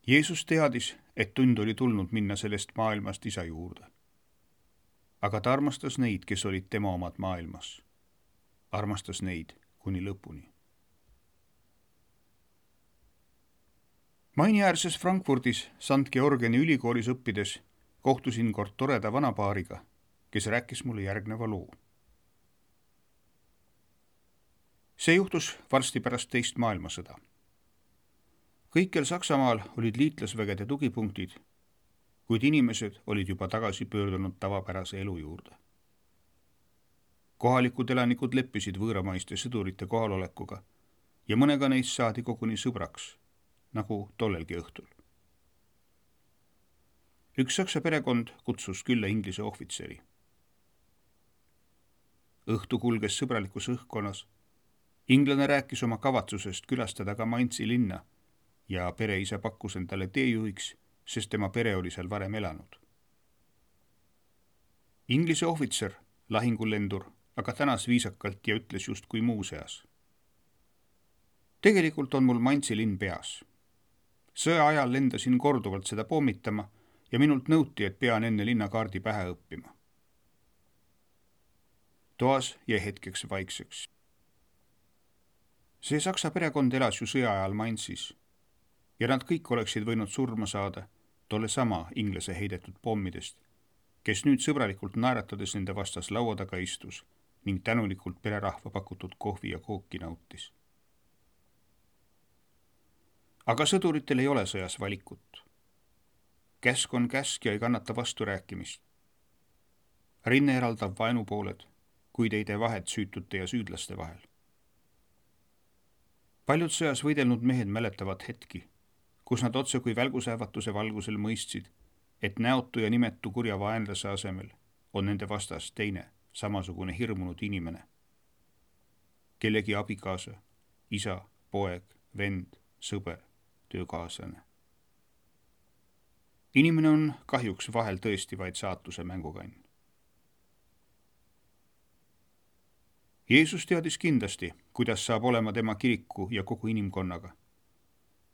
Jeesus teadis, et tund oli tulnud minna sellest maailmast isa juurde. Aga ta armastas neid, kes olid tema omad maailmas. Armastas neid kuni lõpuni. Mainiäärses Frankfurdis St Georgiani ülikoolis õppides kohtusin kord toreda vanapaariga, kes rääkis mulle järgneva loo. See juhtus varsti pärast teist maailmasõda. Kõikjal Saksamaal olid liitlasvägede tugipunktid, kuid inimesed olid juba tagasi pöördunud tavapärase elu juurde. Kohalikud elanikud leppisid võõramaiste sõdurite kohalolekuga ja mõnega neist saadi koguni sõbraks, nagu tollelgi õhtul. Üks saksa perekond kutsus külla Inglise ohvitseri. Õhtu kulges sõbralikus õhkkonnas. Inglane rääkis oma kavatsusest külastada ka Mainzi linna ja pereisa pakkus endale teejuhiks, sest tema pere oli seal varem elanud. Inglise ohvitser, lahingulendur, aga tänas viisakalt ja ütles justkui muu seas. Tegelikult on mul Mainzi linn peas. Sõja ajal lendasin korduvalt seda pommitama ja minult nõuti, et pean enne linnakaardi pähe õppima. Toas jäi hetkeks vaikseks. See saksa perekond elas ju sõja ajal Mainzis ja nad kõik oleksid võinud surma saada tolle sama inglase heidetud pommidest, kes nüüd sõbralikult naeratades nende vastas laua taga istus ning tänulikult pererahva pakutud kohvi ja kooki nautis. Aga sõduritel ei ole sõjas valikut. Käsk on käsk ja ei kannata vasturääkimist. Rinne eraldab vaenupooled, kuid ei tee vahet süütute ja süüdlaste vahel. Paljud sõjas võidelnud mehed mäletavad hetki, kus nad otse kui välgusähvatuse valgusel mõistsid, et näotu ja nimetu kurja vaenlase asemel on nende vastas teine, samasugune hirmunud inimene. Kellegi abikaasa, isa, poeg, vend, sõber, töökaaslane. Inimene on kahjuks vahel tõesti vaid saatuse mängukann. Jeesus teadis kindlasti, kuidas saab olema tema kiriku ja kogu inimkonnaga.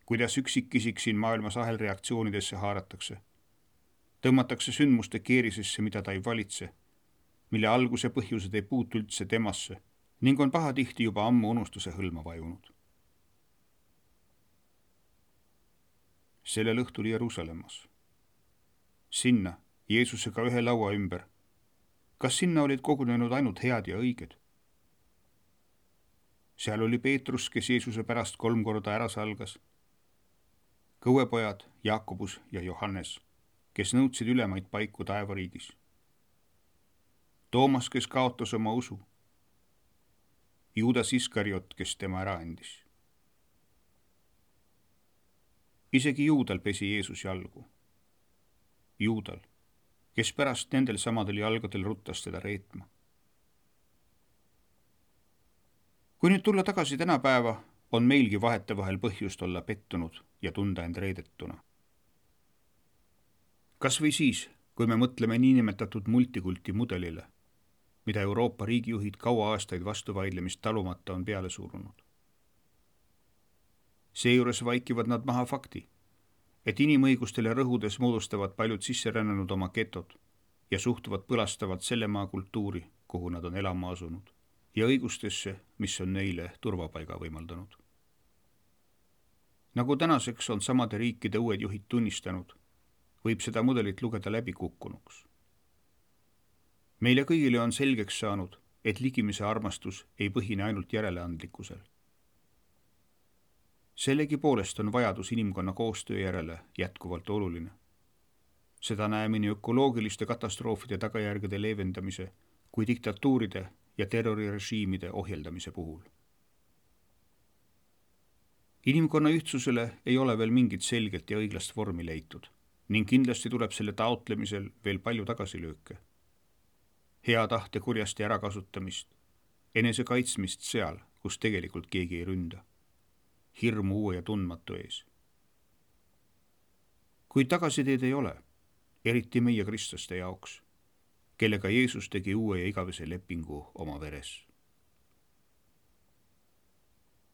Kuidas üksikisik siin maailmas ahelreaktsioonidesse haaratakse. Tõmmatakse sündmuste keerisesse, mida ta ei valitse, mille alguse põhjused ei puutu üldse temasse ning on pahatihti juba ammu unustuse hõlma vajunud. Sellel õhtul Jeruusalemmas. Sinna, Jeesusega ühe laua ümber. Kas sinna olid kogunenud ainult head ja õiged? Seal oli Peetrus, kes Jeesuse pärast 3 korda ära salgas. Kõuepojad Jaakobus ja Johannes, kes nõudsid ülemaid paiku taevariigis. Toomas, kes kaotas oma usu. Juudas Iskariot, kes tema ära andis. Isegi Juudal pesi Jeesus jalgu. Juudal, kes pärast nendel samadel jalgadel ruttas teda reetma. Kui nüüd tulla tagasi tänapäeva, on meilgi vahetevahel põhjust olla pettunud ja tunda end reedetuna. Kas või siis, kui me mõtleme niinimetatud multikulti mudelile, mida Euroopa riigijuhid kaua aastaid vastuvaidlemist talumata on peale surunud. Seejuures vaikivad nad maha fakti, et inimõigustele rõhudes moodustavad paljud sisserännanud oma getod ja suhtuvad põlastavalt selle maa kultuuri, kuhu nad on elama asunud, ja õigustesse, mis on neile turvapaiga võimaldanud. Nagu tänaseks on samade riikide uued juhid tunnistanud, võib seda mudelit lugeda läbi kukkunuks. Meile kõigile on selgeks saanud, et ligimise armastus ei põhine ainult järeleandlikkusel. Sellegi poolest on vajadus inimkonna koostöö järele jätkuvalt oluline. Seda näeme nii ökoloogiliste katastroofide tagajärgede leevendamise kui diktatuuride ja terrorirežiimide ohjeldamise puhul. Inimkonna ühtsusele ei ole veel mingit selget ja õiglast vormi leitud ning kindlasti tuleb selle taotlemisel veel palju tagasilööke. Hea tahte kurjasti ärakasutamist, enese kaitsmist seal, kus tegelikult keegi ei ründa. Hirmu uue ja tundmatu ees. Kuid tagasiteed ei ole, eriti meie kristlaste jaoks, kellega Jeesus tegi uue ja igavese lepingu oma veres.